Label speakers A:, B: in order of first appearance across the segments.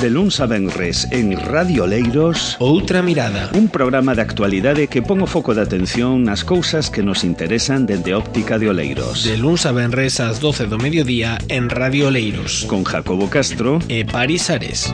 A: De luns a venres en Radio Leiros,
B: Outra Mirada,
A: un programa de actualidade que pon o foco de atención nas cousas que nos interesan dende óptica de Oleiros.
B: de luns a venres ás 12 do mediodía en Radio Leiros,
A: Con Jacobo Castro
B: e Paris Ares.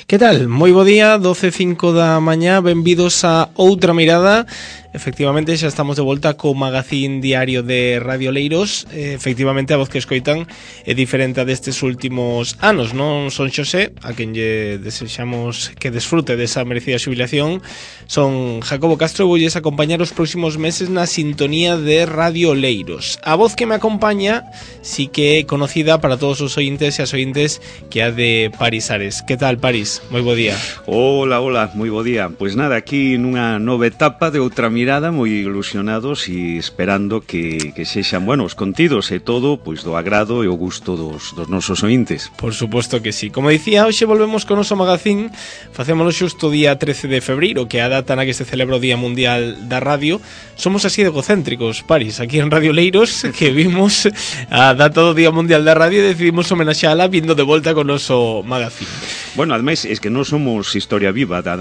B: Que tal? Moi bo día, 12:05 da mañá, benvidos a Outra Mirada. Efectivamente, xa estamos de volta co magazín diario de Radio Leiros. Efectivamente, a voz que escoitan é diferente a destes últimos anos. Non son Xosé, a quen lle desexamos que desfrute desa merecida xubilación. Son Jacobo Castro e voulles acompañar os próximos meses na sintonía de Radio Leiros. A voz que me acompaña sí que é conocida para todos os ointes e as ointes, que é a de Paris Ares. Que tal, Paris? Moi bo día.
A: Hola, moi bo día. Pois nada, aquí nunha nova etapa de Outra Mirada, moi ilusionados e esperando que sexan, bueno, os contidos e todo, pois do agrado e o gusto dos nosos ointes.
B: Por suposto que sí. Como dicía, hoxe volvemos con o noso magazín. Facémolo xusto o día 13 de febreiro, que é a data na que se celebra o Día Mundial da Radio. Somos así de egocéntricos, Paris, aquí en Radio Leiros, que vimos a data do Día Mundial da Radio e decidimos homenaxeala vindo de volta con o noso magazín.
A: Bueno, ademais, es que non somos historia viva da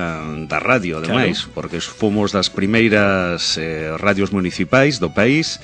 A: radio, ademais, claro, porque fomos das primeiras radios municipais do país,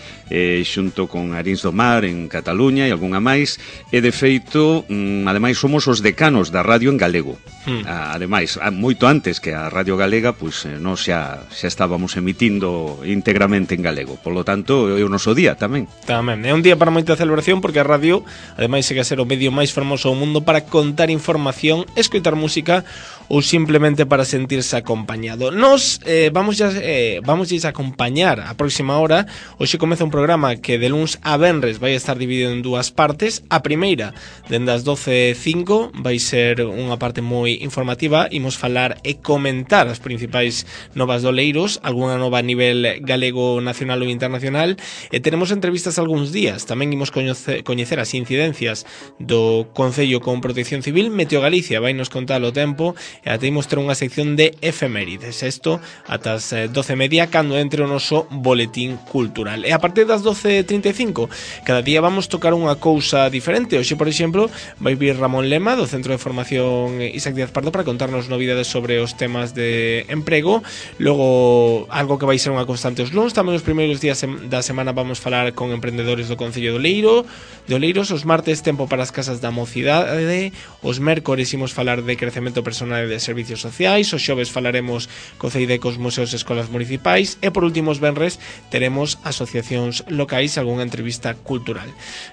A: xunto con Arins do Mar en Cataluña e algunha máis, e de feito, ademais, somos os decanos da radio en galego. Ademais, moito antes que a Radio Galega, pois nós xa estábamos emitindo íntegramente en galego. Por lo tanto, é o noso día tamén.
B: Tamén, é un día para moita celebración, porque a radio, ademais, segue a ser o medio máis fermoso do mundo para contar información, escoitar música ou simplemente para sentirse acompañado. Nos vamos a acompañar a próxima hora. Hoxe comeza un programa que de luns a venres vai estar dividido en dúas partes. A primeira, dende as 12:05, vai ser unha parte moi informativa. Imos falar e comentar as principais novas do Leiros, algunha nova a nivel galego, nacional ou internacional, e teremos entrevistas algúns días. Tamén imos coñecer as incidencias do Concello con Protección Civil. Meteo Galicia vai nos contar o tempo, e até imos ter unha sección de efemérides. Isto ata as 12:30, cando entre o noso boletín cultural. E a partir das 12:35, cada día vamos tocar unha cousa diferente. Hoxe, por exemplo, vai vir Ramón Lema, do Centro de Formación Isaac Díaz Pardo, para contarnos novidades sobre os temas de emprego. Logo, algo que vai ser unha constante os luns. Tamén os primeiros días da semana vamos falar con emprendedores do Concello de Oleiros. Os martes, tempo para as casas da mocidade. Os mércores imos falar de crecemento personal e de servicios sociais. Os xoves falaremos co CEIDEC, os museos e escolas municipais. E por último, os venres teremos asociacións locais e algunha entrevista cultural.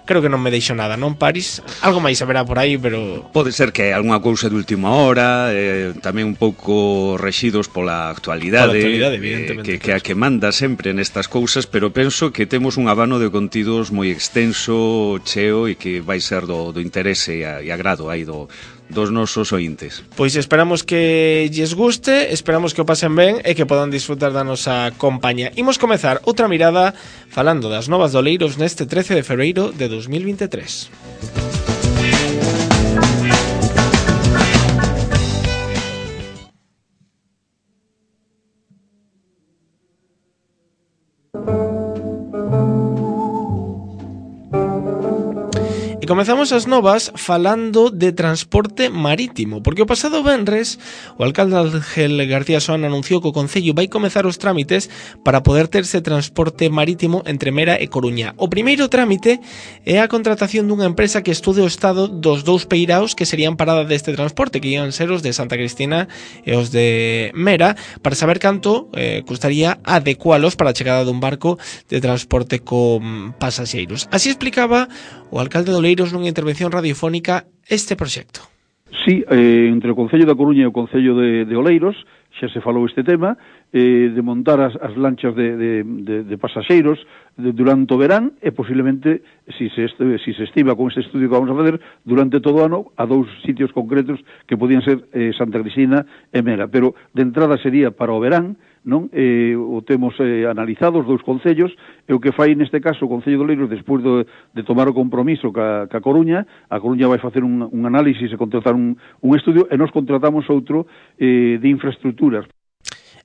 B: Creo que non me deixo nada, non, Paris? Algo máis haberá por aí, pero...
A: Pode ser que algunha cousa de última hora, tamén un pouco rexidos pola actualidade,
B: evidentemente,
A: que a que manda sempre nestas cousas, pero penso que temos un abano de contidos moi extenso, cheo, e que vai ser do interese e agrado aí dos nosos ointes.
B: Pois esperamos que lles guste, esperamos que o pasen ben e que podan disfrutar da nosa compañía. Imos comezar outra mirada falando das novas do Leiros neste 13 de febreiro de 2023. E comezamos as novas falando de transporte marítimo, porque o pasado venres o alcalde Ángel García Soana anunciou que o Concello vai comezar os trámites para poder terse transporte marítimo entre Mera e Coruña. O primeiro trámite é a contratación dunha empresa que estude o estado dos dous peiraos que serían parada deste transporte, que ian ser os de Santa Cristina e os de Mera, para saber canto custaría adecualos para a chegada dun barco de transporte con pasaxeiros. Así explicaba o alcalde de Oleiros nunha intervención radiofónica este proxecto.
C: Sí, entre o Concello da Coruña e o Concello de Oleiros xa se falou este tema, de montar as lanchas de pasaxeiros durante o verán, e posiblemente, si se estima con este estudio que vamos a fazer, durante todo o ano, a dous sitios concretos que podían ser Santa Cristina e Mera. Pero de entrada sería para o verán, non? O temos analizado os dous concellos, e o que fai neste caso o Concello de Oleiros, despois de tomar o compromiso ca Coruña, a Coruña vai facer un análisis e contratar un estudio, e nos contratamos outro de infraestructuras.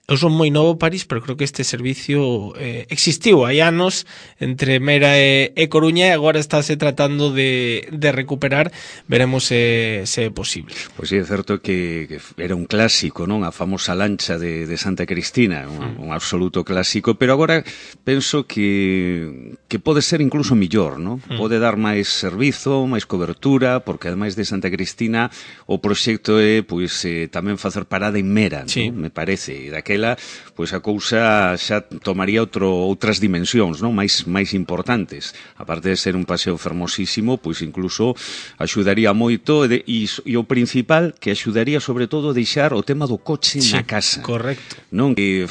B: Eu son moi novo París, pero creo que este servicio existiu hai anos entre Meira e Coruña e agora estáse tratando de recuperar. Veremos se é posible.
A: Pois sí, é certo que era un clásico, non? A famosa lancha de Santa Cristina, un absoluto clásico, pero agora penso que pode ser incluso millor, non? Pode dar máis servizo, máis cobertura, porque ademais de Santa Cristina o proxecto é pois tamén facer parada en Mera,
B: sí,
A: non? Me parece, e daquela pois a cousa xa tomaría outras dimensións, non? máis importantes. Aparte de ser un paseo fermosísimo, pois incluso axudaría moito e o principal que axudaría sobre todo a deixar o tema do coche na casa.
B: Correcto.
A: Non? Que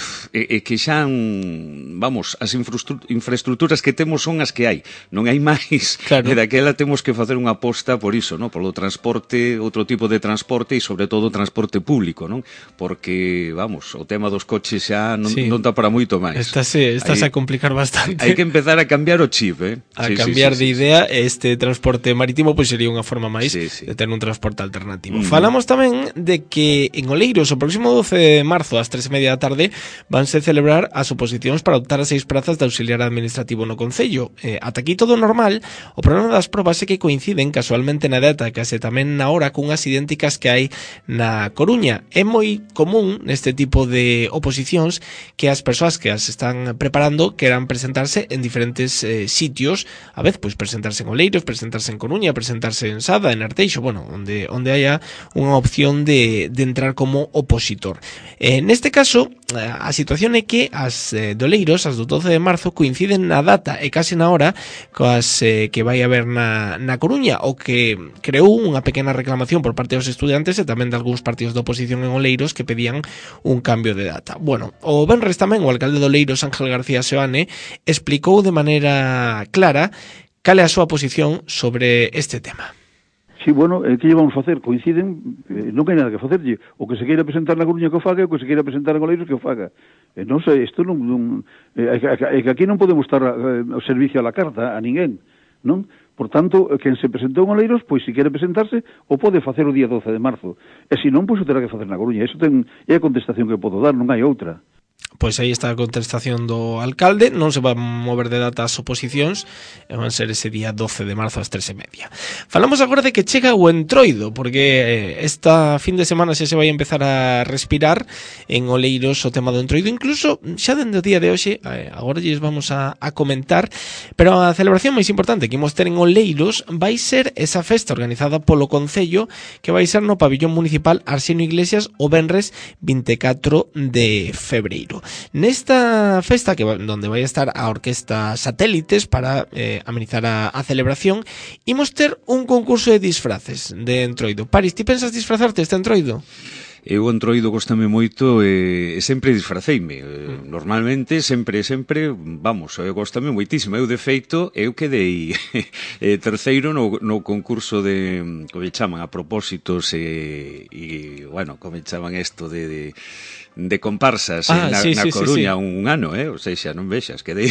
A: xa vamos, as infraestructuras que temos son as que hai, non hai máis.
B: Claro.
A: E daquela temos que facer unha aposta por iso, non? Polo transporte, outro tipo de transporte e sobre todo transporte público, non? Porque, vamos, o tema dos coches xa non dá para moito máis.
B: Estás a complicar bastante.
A: Hai que empezar a cambiar o chip,
B: cambiar de idea. Este transporte marítimo pois sería unha forma máis de ter un transporte alternativo. Falamos tamén de que en Oleiros o próximo 12 de marzo ás 3:30 da tarde vanse celebrar as oposicións para optar a 6 prazas de auxiliar administrativo no Concello. Ata aquí todo normal. O problema das probas é que coinciden casualmente na data e case tamén na hora cunhas idénticas que hai na Coruña. É moi común neste tipo de oposicións que as persoas que as están preparando queran presentarse en diferentes sitios, a vez pois presentarse en Oleiros, presentarse en Coruña, presentarse en Sada, en Arteixo, bueno, onde haya unha opción de entrar como opositor. Neste caso, a situación é que as de Oleiros, as do 12 de marzo, coinciden na data e case na hora coas que vai haber na Coruña, o que creou unha pequena reclamación por parte dos estudiantes e tamén de algúns partidos de oposición en Oleiros que pedían un cambio de data. Bueno, o venres tamén o alcalde de Oleiros, Ángel García Seoane, explicou de maneira clara cal é a súa posición sobre este tema.
C: Sí, bueno, que lle vamos facer? Coinciden, non hai nada que facerlle. O que se queira presentar na Coruña que o faga, e o que se queira presentar en Oleiros que o faga. Non sei, isto non é que aquí non podemos estar ao servicio a la carta a ninguén, non? Por tanto, quen se presentou en Oleiros, pois se quere presentarse, o pode facer o día 12 de marzo. E se non, pois o terá que facer na Coruña. Iso é a contestación que podo dar, non hai outra.
B: Pois aí está a contestación do alcalde. Non se van mover de data as oposicións e van ser ese día 12 de marzo ás 3:30. Falamos agora de que chega o Entroido, porque esta fin de semana xa se vai empezar a respirar en Oleiros o tema do Entroido. Incluso xa dende o día de hoxe, agora lles vamos a comentar, pero a celebración máis importante que imos ter en Oleiros vai ser esa festa organizada polo Concello, que vai ser no pabillón municipal Arsenio Iglesias o venres 24 de febreiro. Nesta festa, donde vai estar a Orquesta Satélites para amenizar a celebración, imos ter un concurso de disfraces de Entroido. Paris, ti pensas disfrazarte este Entroido?
A: Eu o Entroido gostame moito e sempre disfraceime. Normalmente, sempre, vamos, gostame moitísimo. Eu, de feito, eu quedei terceiro no concurso de, como chaman, a propósitos e bueno, como chaman isto de comparsas na Coruña un ano, ou seja, non vexas, quedei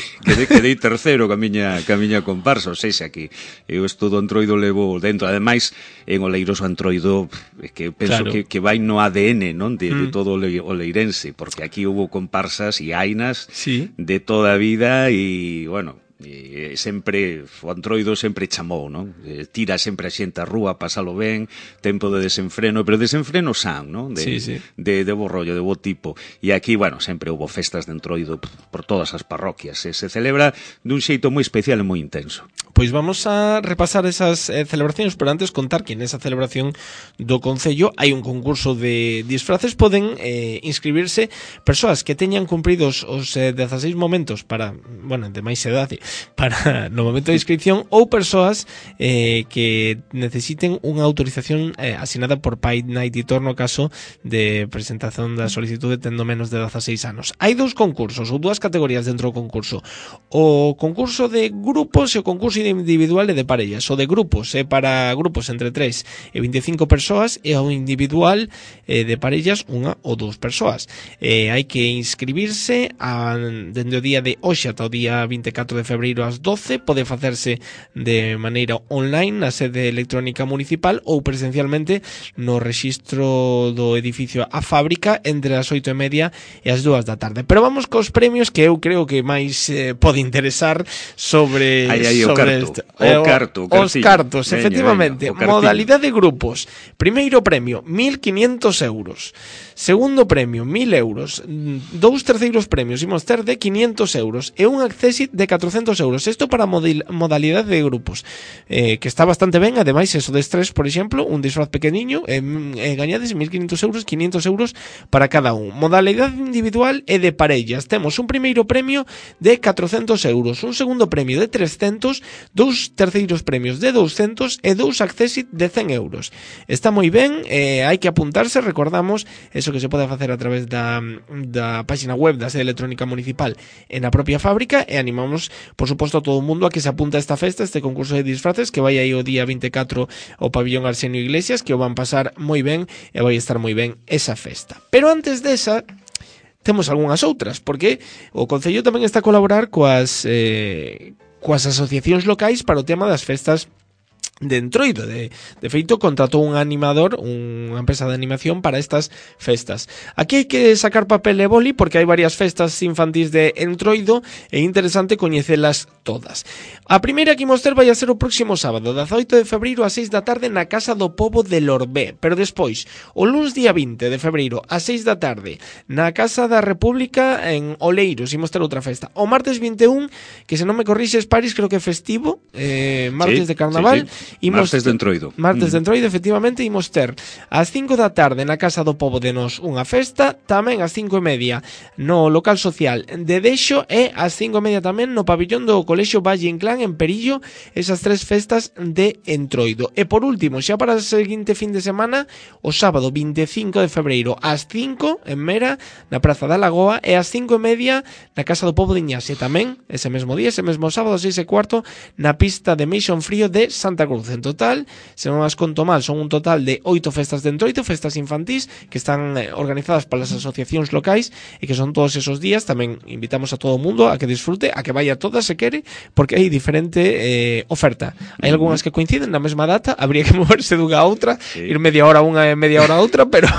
A: terceiro ca miña comparsa, ou seja, que eu isto do Entroido levo dentro. Ademais, en Oleiros o Entroido que penso que vai no ADN, non, de todo o leirense, porque aquí hubo comparsas e hainas de toda a vida e, bueno, e sempre o Entroido sempre chamou, non? Tira sempre a xente a rúa, pasalo ben, tempo de desenfreno, pero desenfreno san, non? De bo rollo, de bo tipo. E aquí, bueno, sempre houve festas de Entroido por todas as parroquias. Se celebra dun xeito moi especial e moi intenso.
B: Pois vamos a repasar esas celebracións, pero antes contar que nesa celebración do Concello hai un concurso de disfraces. Poden inscribirse persoas que teñan cumpridos os 16 momentos para, bueno, de máis edade, para no momento de inscripción, ou persoas que necesiten unha autorización asinada por pai, nai, titor no caso de presentación da solicitude tendo menos de 16 anos. Hai dous concursos ou dúas categorías dentro do concurso: o concurso de grupos e o concurso individual e de parellas. O de grupos é para grupos entre 3 e 25 persoas e o individual de parellas 1 ou 2 persoas. Hai que inscribirse dende o día de hoxe ata o día 24 de febreiro ás 12. Pode facerse de maneira online na sede electrónica municipal ou presencialmente no rexistro do edificio A Fábrica entre as 8:30 e as 2 da tarde. Pero vamos cos premios que eu creo que máis pode interesar sobre
A: os
B: cartos, efectivamente. Modalidade de grupos. Primeiro premio, 1.500 euros. Segundo premio, 1.000 euros. 2 terceiros premios imos ter de 500 euros e un accessit de 400 euros. Isto para modalidade de grupos, que está bastante ben. Ademais, eso de estrés, por exemplo, un disfraz pequeniño, gañades 1.500 euros, 500 euros para cada un. Modalidade individual e de parellas. Temos un primeiro premio de 400 euros, un segundo premio de 300, 2 terceiros premios de 200 e 2 accessit de 100 euros. Está moi ben, hai que apuntarse. Recordamos eso que se pode facer a través da página web da sede electrónica municipal e na propia fábrica, e animamos, por suposto, a todo o mundo a que se apunte a esta festa, este concurso de disfraces que vai aí o día 24 ao pabillón Arsenio Iglesias, que o van pasar moi ben e vai estar moi ben esa festa. Pero antes desa temos algunhas outras, porque o Concello tamén está a colaborar coas asociacións locais para o tema das festas de Entroido. De feito, contratou un animador, unha empresa de animación para estas festas. Aquí hai que sacar papel e boli porque hai varias festas infantís de Entroido e é interesante coñecelas todas. A primeira que imos ter vai a ser o próximo sábado, 18 de febreiro ás 6 da tarde na Casa do Pobo de Lorbé. Pero despois, o luns día 20 de febreiro ás 6 da tarde na Casa da República en Oleiros imos ter outra festa. O martes 21, que se non me corrixes, Paris, creo que é festivo, martes de carnaval.
A: Martes de Entroido.
B: Martes de Entroido, efectivamente, imos ter ás 5 da tarde na Casa do Pobo de Nos unha festa, tamén ás 5:30 no local social de Deixo e ás 5:30 tamén no pabillón do Colexio Valle Inclán en Perillo, esas 3 festas de Entroido. E por último, xa para o seguinte fin de semana, o sábado 25 de febreiro ás 5 en Mera, na Praza da Lagoa, e ás 5:30 na Casa do Pobo de Iñaxe, tamén ese mesmo día, ese mesmo sábado, 6:15 na pista de Mission Frío de Santa Cruz. En total, se non as conto mal, son un total de 8 festas de Entroido, festas infantís que están organizadas polas asociacións locais e que son todos esos días. Tamén invitamos a todo o mundo a que disfrute, a que vaya todas se quere, porque hai diferente oferta. Hai algunhas que coinciden na mesma data, habría que moverse dunha a outra, ir media hora unha e media hora a outra, pero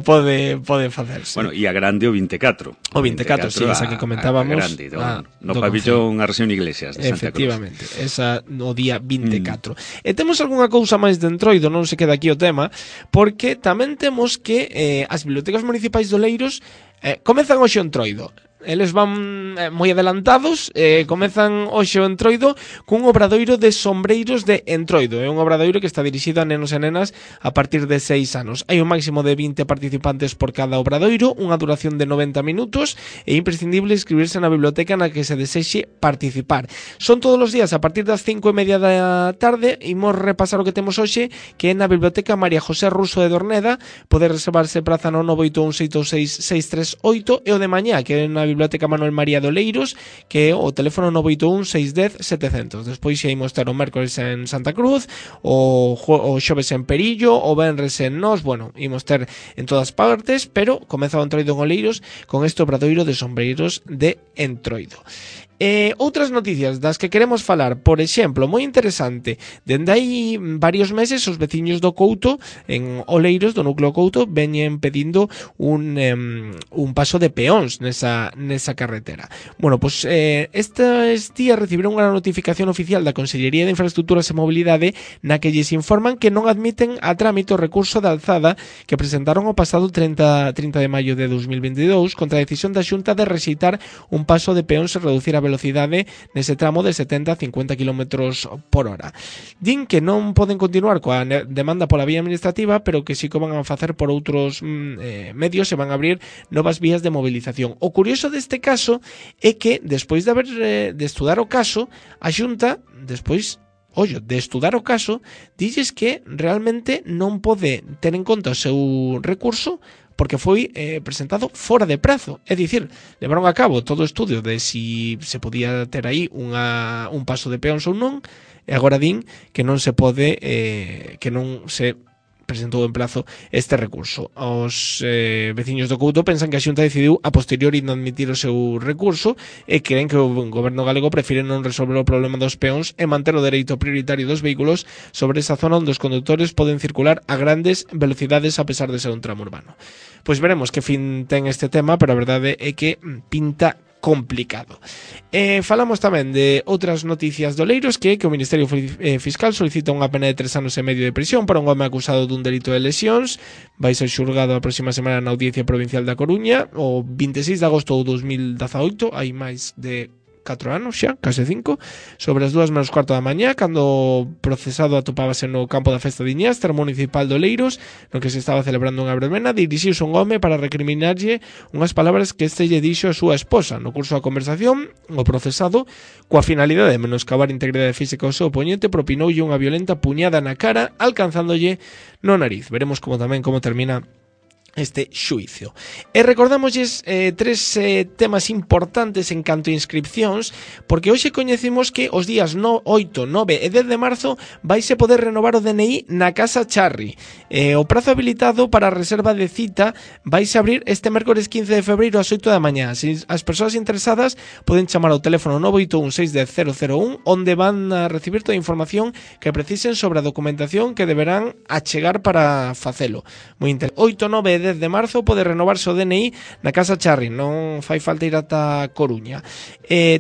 B: pode facerse.
A: Bueno, e a grande o 24.
B: O 24, sí, esa que comentábamos.
A: A grande, no pabillón Arsenio Iglesias de Santa Cruz.
B: Efectivamente, esa no día 24. E temos algunha cousa máis de Entroido, non se queda aquí o tema, porque tamén temos que as bibliotecas municipais de Oleiros comezan hoxe o Entroido. Eles van moi adelantados, comezan hoxe o Entroido cun obradoiro de sombreiros de Entroido. É un obradoiro que está dirixido a nenos e nenas a partir de 6 anos. Hai un máximo de 20 participantes por cada obradoiro, unha duración de 90 minutos, e é imprescindible inscribirse na biblioteca na que se desexe participar. Son todos os días a partir das 5:30 da tarde. Imos repasar o que temos hoxe, que é na Biblioteca María José Ruso de Dorneda. Pode reservarse praza no 981-626-638, e o de mañá, que é na Biblioteca Manuel María de Oleiros, que é o teléfono 981-610-700. Despois xa imos ter o mércores en Santa Cruz, o xoves en Perillo, o venres en Nos. Bueno, imos ter en todas partes, pero comeza o Entroido en Oleiros con este obradoiro de sombreiros de Entroido. Outras noticias das que queremos falar, por exemplo, moi interesante, dende hai varios meses os veciños do Couto en Oleiros, do núcleo Couto, veñen pedindo un paso de peóns nesa carretera. Bueno, pois estes días recibiron unha notificación oficial da Consellería de Infraestructuras e Mobilidade na que lles informan que non admiten a trámite o recurso de alzada que presentaron o pasado 30 de maio de 2022 contra a decisión da Xunta de rexeitar un paso de peóns e reducir a velocidade nese tramo de 70 a 50 km por hora. Din que non poden continuar coa demanda pola vía administrativa, pero que sí que van a facer por outros medios e van a abrir novas vías de movilización. O curioso deste caso é que, despois de estudar o caso, a Xunta, de estudar o caso, dilles que realmente non pode ter en conta o seu recurso porque foi presentado fora de prazo. É dicir, levaron a cabo todo o estudio de si se podía ter aí un paso de peóns ou non, e agora din que non se pode, que non se presentou en plazo este recurso. Os veciños do Couto pensan que a Xunta decidiu a posteriori non admitir o seu recurso e creen que o goberno galego prefire non resolver o problema dos peóns e manter o dereito prioritario dos vehículos sobre esa zona onde os condutores poden circular a grandes velocidades a pesar de ser un tramo urbano. Pois veremos que fin ten este tema, pero a verdade é que pinta complicado. Falamos tamén de outras noticias do Oleiros, que o Ministerio Fiscal solicita unha pena de 3 anos e medio de prisión para un home acusado dun delito de lesións. Vai ser xulgado a próxima semana na Audiencia Provincial da Coruña o 26 de agosto de 2018, hai máis de 4 anos xa, case 5, sobre as 2:15 da mañá, cando o procesado atopábase no campo da festa de Iñastra municipal do Oleiros, no que se estaba celebrando unha verbena, dirixiuse un home para recriminarlle unhas palabras que este lle dixo a súa esposa. No curso da conversación, o procesado, coa finalidade de menoscabar a integridade física ao seu oponente, propinoulle unha violenta puñada na cara, alcanzándolle no nariz. Veremos como termina este xuicio. E recordámosles tres temas importantes en canto a inscripcións, porque hoxe coñecemos que os días 8, 9 e 10 de marzo vaise poder renovar o DNI na Casa Charri. O prazo habilitado para a reserva de cita vaise abrir este mércores 15 de febreiro ás 8 da mañá. As persoas interesadas poden chamar ao teléfono 981 610 001, onde van a recibir toda a información que precisen sobre a documentación que deberán achegar para facelo. Moi interesante. 8, 9 e 10 de marzo pode renovarse o DNI na Casa Charri, non fai falta ir ata Coruña.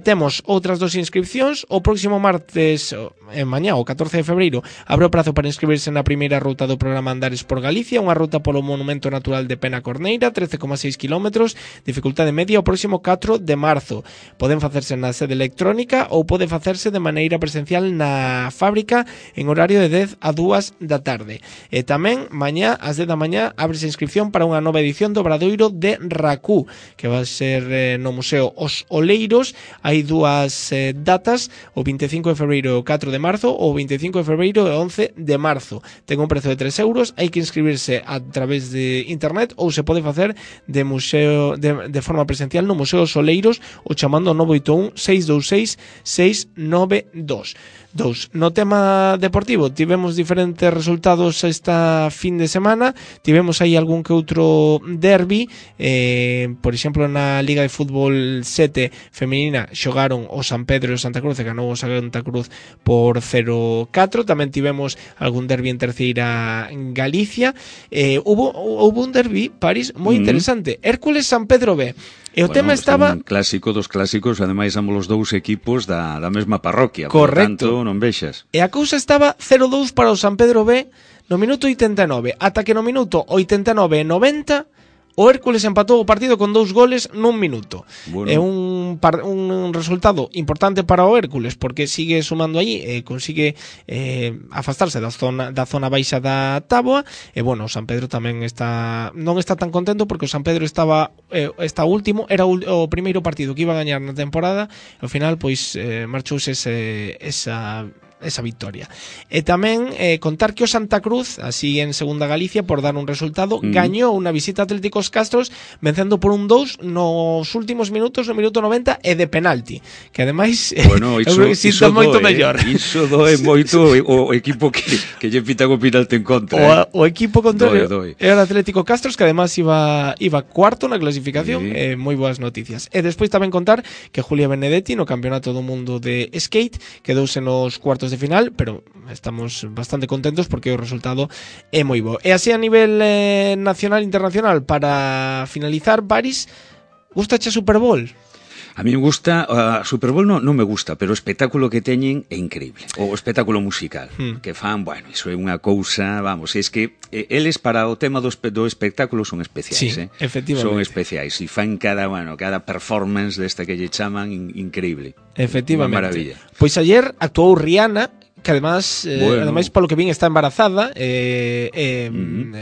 B: Temos outras dos inscripcións. O próximo martes, mañá, o 14 de febreiro, abre o prazo para inscribirse na primeira ruta do programa Andares por Galicia, unha ruta polo Monumento Natural de Pena Corneira, 13,6 km, dificultade media, o próximo 4 de marzo. Poden facerse na sede electrónica ou pode facerse de maneira presencial na fábrica en horario de 10 a 2 da tarde. E tamén, mañá, ás 10 da mañá, ábrese inscripción para unha nova edición do Obradoiro de Racú, que vai ser no Museo Os Oleiros. Hai dúas datas, o 25 de febreiro e o 4 de marzo, ou o 25 de febreiro e 11 de marzo. Ten un prezo de 3 euros, hai que inscribirse a través de internet ou se pode facer de forma presencial no Museo Os Oleiros ou chamando ao 981 626 692. No tema deportivo tivemos diferentes resultados esta fin de semana. Tivemos aí algún que outro derbi, por exemplo na Liga de Fútbol 7 femenina xogaron o San Pedro e o Santa Cruz e ganou o Santa Cruz por 0-4. Tamén tivemos algún derbi en terceira en Galicia. Hubo un derbi, París, moi interesante. Hércules San Pedro B. E o tema estaba...
A: Un clásico dos clásicos, ademais ambos os dous equipos da mesma parroquia.
B: Correcto.
A: Por tanto, non vexas.
B: E a cousa estaba 0-2 para o San Pedro B no minuto 89, ata que no minuto 89 e 90 o Hércules empatou o partido con 2 goles nun minuto. Bueno. É un resultado importante para o Hércules, porque sigue sumando aí e consigue afastarse da zona baixa da táboa. E bueno, o San Pedro tamén non está tan contento, porque o San Pedro está último, era o primeiro partido que iba a gañar na temporada, e ao final pois marchouse esa victoria. E tamén contar que o Santa Cruz, así en segunda Galicia, por dar un resultado, gañou unha visita a Atléticos Castros vencendo por 1-2 nos últimos minutos, no minuto 90 e de penalti, que ademais
A: iso
B: moito mellor.
A: Iso doe moito o equipo que lle pitan o penalti en contra.
B: O equipo contrario era o Atlético Castros, que ademais iba cuarto na clasificación. Moi boas noticias. E despois tamén contar que Julia Benedetti no Campeonato do Mundo de Skate quedouse nos cuartos de final, pero estamos bastante contentos porque o resultado é moi bo. E así a nivel nacional e internacional, para finalizar, Baris, gustache a Super Bowl?
A: A mí me gusta, a Super Bowl non me gusta, pero o espectáculo que teñen é increíble. O espectáculo musical que fan, bueno, iso é unha cousa, vamos, é que eles para o tema do espectáculo son especiais,
B: sí, efectivamente.
A: Son especiais e fan cada performance desta que lle chaman increíble.
B: Efectivamente.
A: Unha maravilla.
B: Pois ayer actuou Rihanna, que además polo que vin está embarazada,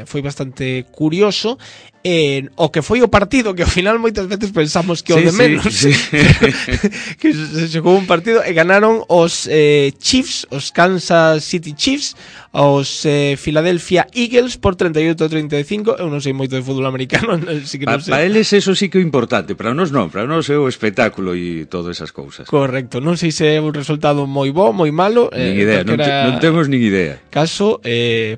B: foi bastante curioso, o que foi o partido, que ao final moitas veces pensamos que o de menos, que se xogou un partido e ganaron os Chiefs, os Kansas City Chiefs, aos Philadelphia Eagles por 38-35. Eu non sei moito de fútbol americano, así que non sei.
A: Para eles eso sí que é importante, para nós non, para nós é o espectáculo e todas esas cousas.
B: Correcto, non sei se é un resultado moi bo, moi malo.
A: Nin idea, non temos nin idea.
B: Caso,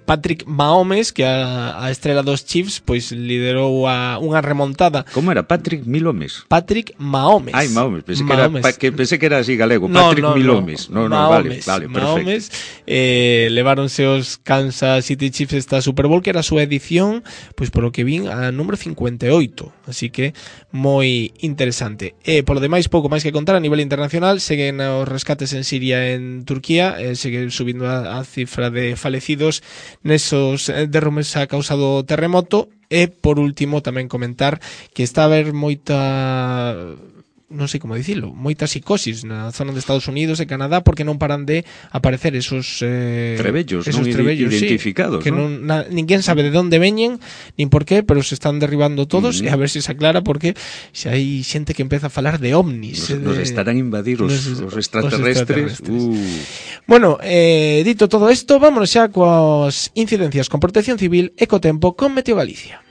B: Patrick Mahomes, que a estrela dos Chiefs, pois liderou unha remontada.
A: Como era? Patrick Milomes?
B: Patrick Mahomes.
A: Ai, Mahomes, pensei que era así galego. Patrick Milomes. No,
B: Mahomes,
A: vale,
B: Mahomes,
A: perfecto.
B: Leváronse os Kansas City Chiefs esta Super Bowl, que era a súa edición, pois polo que vin, a número 58. Así que moi interesante. Polo demais, pouco máis que contar a nivel internacional. Seguen os rescates en Siria e en Turquía, segue subindo a cifra de falecidos nesos derrumes a causa do terremoto. E por último tamén comentar que está a haber moita, non sei como dicilo, moita psicosis na zona de Estados Unidos e Canadá, porque non paran de aparecer esos
A: trebellos identificados,
B: sí, que ninguén sabe de onde veñen nin por qué, pero se están derribando todos. E a ver se se aclara, porque se hai xente que empeza a falar de ovnis,
A: nos estarán a invadir os extraterrestres.
B: Bueno, dito todo isto, vámonos xa coas incidencias con Protección Civil e co tempo con Meteo Galicia.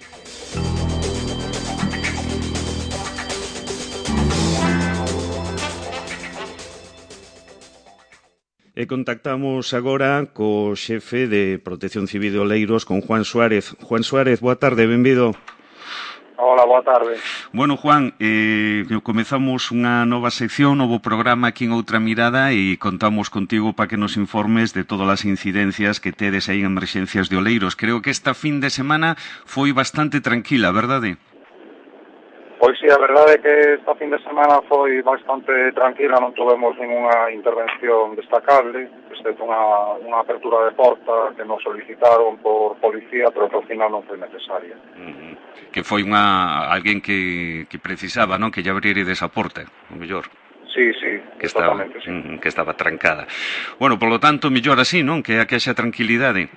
A: E contactamos agora co xefe de Protección Civil de Oleiros, con Juan Suárez. Juan Suárez, boa tarde, benvido.
D: Hola, boa tarde.
A: Bueno, Juan, comezamos unha nova sección, novo programa aquí en Outra Mirada, e contamos contigo para que nos informes de todas as incidencias que tedes aí en emerxencias de Oleiros. Creo que esta fin de semana foi bastante tranquila, verdade?
D: Pois sí, a verdade é que esta fin de semana foi bastante tranquila, non tivemos ninguna intervención destacable, excepto unha apertura de porta que nos solicitaron por policía, pero que ao final non foi necesaria.
A: Que foi alguén que precisaba, non? Que lle abrire desa porta, o mellor.
D: Sí, exactamente, sí.
A: Que estaba trancada. Bueno, polo tanto, mellor así, non? Que haxa tranquilidade.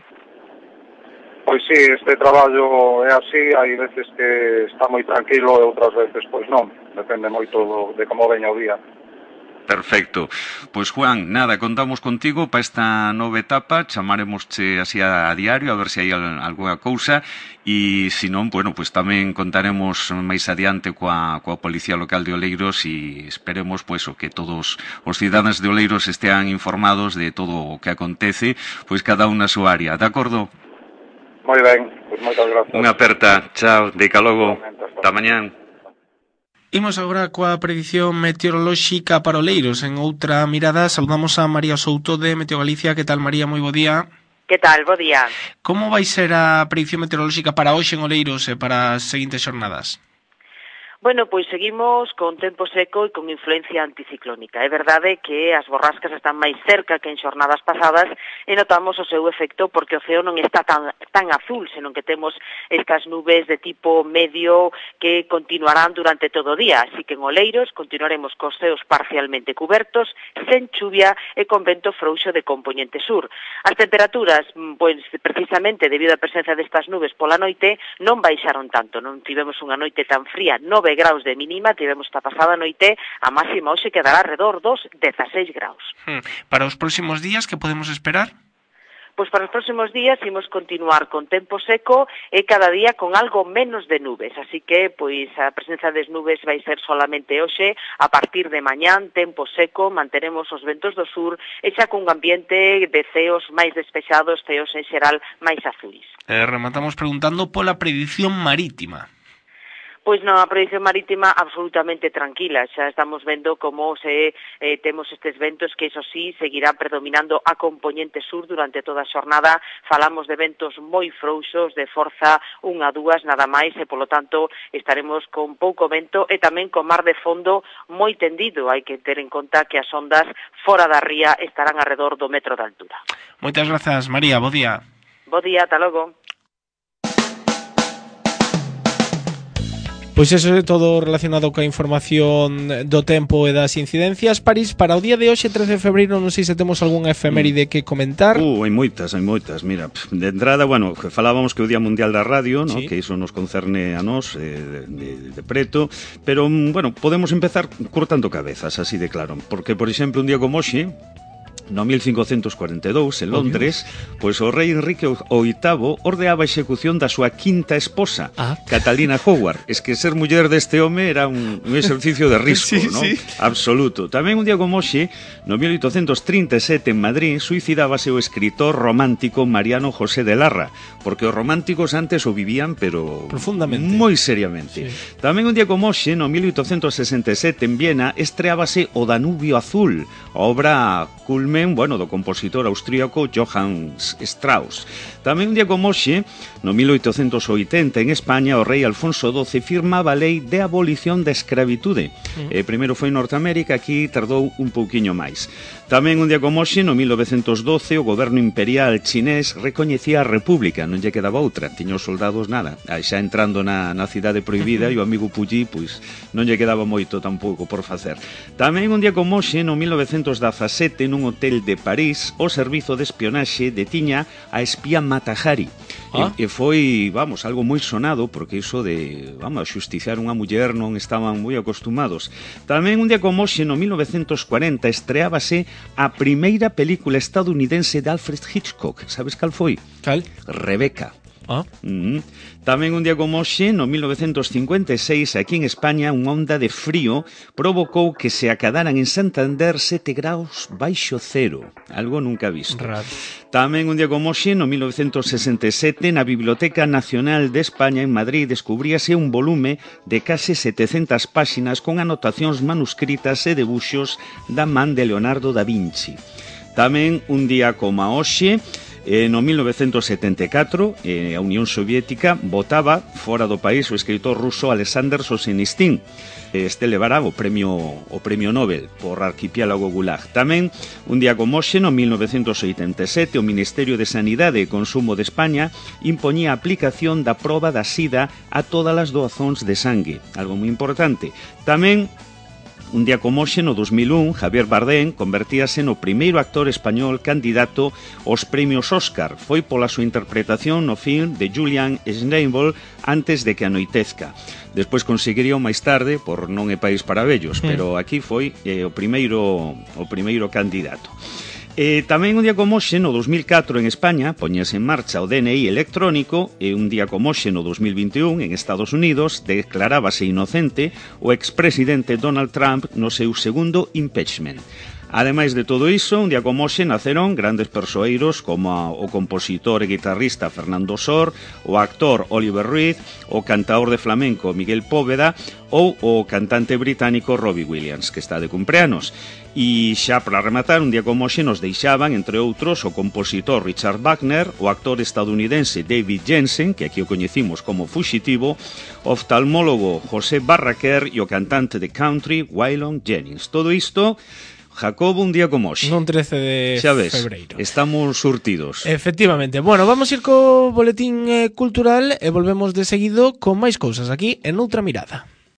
D: Pois sí, este traballo é así, hai veces que está moi tranquilo e outras veces pois non, depende moito de como veña o día.
A: Perfecto. Pois Juan, nada, contamos contigo para esta nova etapa, chamaremosche así a diario a ver se hai algunha cousa, e se non, bueno, pois tamén contaremos máis adiante coa Policía Local de Oleiros, e esperemos pois que todos os cidadáns de Oleiros estean informados de todo o que acontece, pois cada un na súa área, de acordo?
D: Moi ben, pois moitas grazas.
A: Unha aperta, chao, deica logo, ata mañán.
B: Imos agora coa predición meteorolóxica para Oleiros. En Outra Mirada saludamos a María Souto de Meteo Galicia. Que tal, María? Moi bo día.
E: Que tal? Bo día.
B: Como vai ser a predición meteorolóxica para hoxe en Oleiros e para as seguintes xornadas?
E: Bueno, pois seguimos con tempo seco e con influencia anticiclónica. É verdade que as borrascas están máis cerca que en xornadas pasadas e notamos o seu efecto porque o ceo non está tan azul, senón que temos estas nubes de tipo medio que continuarán durante todo o día. Así que en Oleiros continuaremos cos ceos parcialmente cubertos, sen chuvia e con vento frouxo de compoñente sur. As temperaturas, pois precisamente debido á presencia destas nubes pola noite, non baixaron tanto. Non tivemos unha noite tan fría, 9 graus de mínima, tivemos esta pasada noite, a máxima hoxe quedará alrededor dos 16 graus.
B: Para os próximos días, que podemos esperar?
E: Pois para os próximos días imos continuar con tempo seco e cada día con algo menos de nubes, así que pois a presenza das nubes vai ser solamente hoxe. A partir de mañán, tempo seco, manteremos os ventos do sur e xa cun ambiente de ceos máis despexados, ceos en xeral máis azuis.
B: Rematamos preguntando pola predición marítima.
E: Pois na predición marítima absolutamente tranquila, xa estamos vendo como temos estes ventos que, iso sí, seguirán predominando a compoñente sur durante toda a xornada. Falamos de ventos moi frouxos, de forza 1 a 2 nada máis, e polo tanto estaremos con pouco vento e tamén con mar de fondo moi tendido. Hai que ter en conta que as ondas fora da ría estarán alrededor do metro de altura.
B: Moitas grazas, María, bo día.
E: Bo día, ata logo.
B: Pois eso é todo relacionado coa información do tempo e das incidencias. París, para o día de hoxe, 13 de febreiro, non sei se temos algunha efeméride que comentar.
A: Hai moitas. Mira, de entrada, bueno, falábamos que o Día Mundial da Radio, ¿no?
B: Sí.
A: Que iso nos concerne a nós de preto, pero, bueno, podemos empezar cortando cabezas, así de claro, porque, por exemplo, un día como hoxe, no 1542, en Londres, pois o rei Enrique VIII ordeaba a execución da súa quinta esposa, Catalina Howard. Es que ser muller deste home era un exercicio de risco,
B: sí,
A: ¿no?
B: sí.
A: Absoluto. Tamén un día como hoxe, no 1837, en Madrid, suicidábase o escritor romántico Mariano José de Larra, porque os románticos antes o vivían, pero
B: profundamente,
A: moi seriamente. Sí. Tamén un día como hoxe, no 1867, en Viena, estreábase O Danubio Azul, a obra culmen, bueno, do compositor austríaco Johann Strauss. Tamén un día como hoxe, no 1880, en España, o rei Alfonso XII firmaba a lei de abolición da escravitude. Primeiro foi en Norteamérica, aquí tardou un pouquiño máis. Tamén un día como hoxe, no 1912, o goberno imperial chinés recoñecía a república, non lle quedaba outra, tiña os soldados nada, xa entrando na cidade prohibida, e o amigo Puyi, pois, non lle quedaba moito tampouco por facer. Tamén un día como hoxe, no 1917, nun hotel de París, o servizo de espionaxe detiña a espía Mata Hari. E foi, vamos, algo moi sonado, porque iso de, vamos, xusticiar unha muller non estaban moi acostumados. Tamén un día como hoxe, no 1940, estreábase a primeira película estadounidense de Alfred Hitchcock. Sabes cal foi?
B: Cal?
A: Rebeca. Tamén un día como hoxe, no 1956, aquí en España, unha onda de frío provocou que se acadaran en Santander 7 graus baixo cero, algo nunca visto.
B: Raro.
A: Tamén un día como hoxe, no 1967, na Biblioteca Nacional de España en Madrid, descubríase un volume de case 700 páxinas con anotacións manuscritas e debuxos da man de Leonardo da Vinci. Tamén un día como hoxe, no 1974, a Unión Soviética botaba fora do país o escritor ruso Alexander Solzhenitsyn. Este levará o premio Nobel por Arquipiélago Gulag. Tamén, un día como hoxe, no 1987, o Ministerio de Sanidade e Consumo de España impoñía a aplicación da proba da sida a todas as doazóns de sangue, algo moi importante. Tamén, un día como hoxe, no 2001, Javier Bardem convertíase no primeiro actor español candidato aos premios Óscar. Foi pola súa interpretación no film de Julian Schnabel, Antes de que anoitezca. Despois conseguiría máis tarde por Non é país para vellos, pero aquí foi o primeiro candidato. Tamén un día como hoxe, no 2004, en España, poñese en marcha o DNI electrónico, e un día como hoxe, no 2021, en Estados Unidos, declarábase inocente o expresidente Donald Trump no seu segundo impeachment. Ademais de todo iso, un día como hoxe naceron grandes persoeiros como o compositor e guitarrista Fernando Sor, o actor Oliver Reed, o cantaor de flamenco Miguel Póveda ou o cantante británico Robbie Williams, que está de cumpleanos. E xa para rematar, un día como hoxe nos deixaban, entre outros, o compositor Richard Wagner, o actor estadounidense David Jensen, que aquí o coñecimos como Fuxitivo, o oftalmólogo José Barraquer e o cantante de country Waylon Jennings. Todo isto, Jacobo, un día como hoxe.
B: Non 13 de febreiro.
A: Estamos surtidos.
B: Efectivamente. Bueno, vamos ir co boletín cultural e volvemos de seguido con máis cousas aquí en Outra Mirada.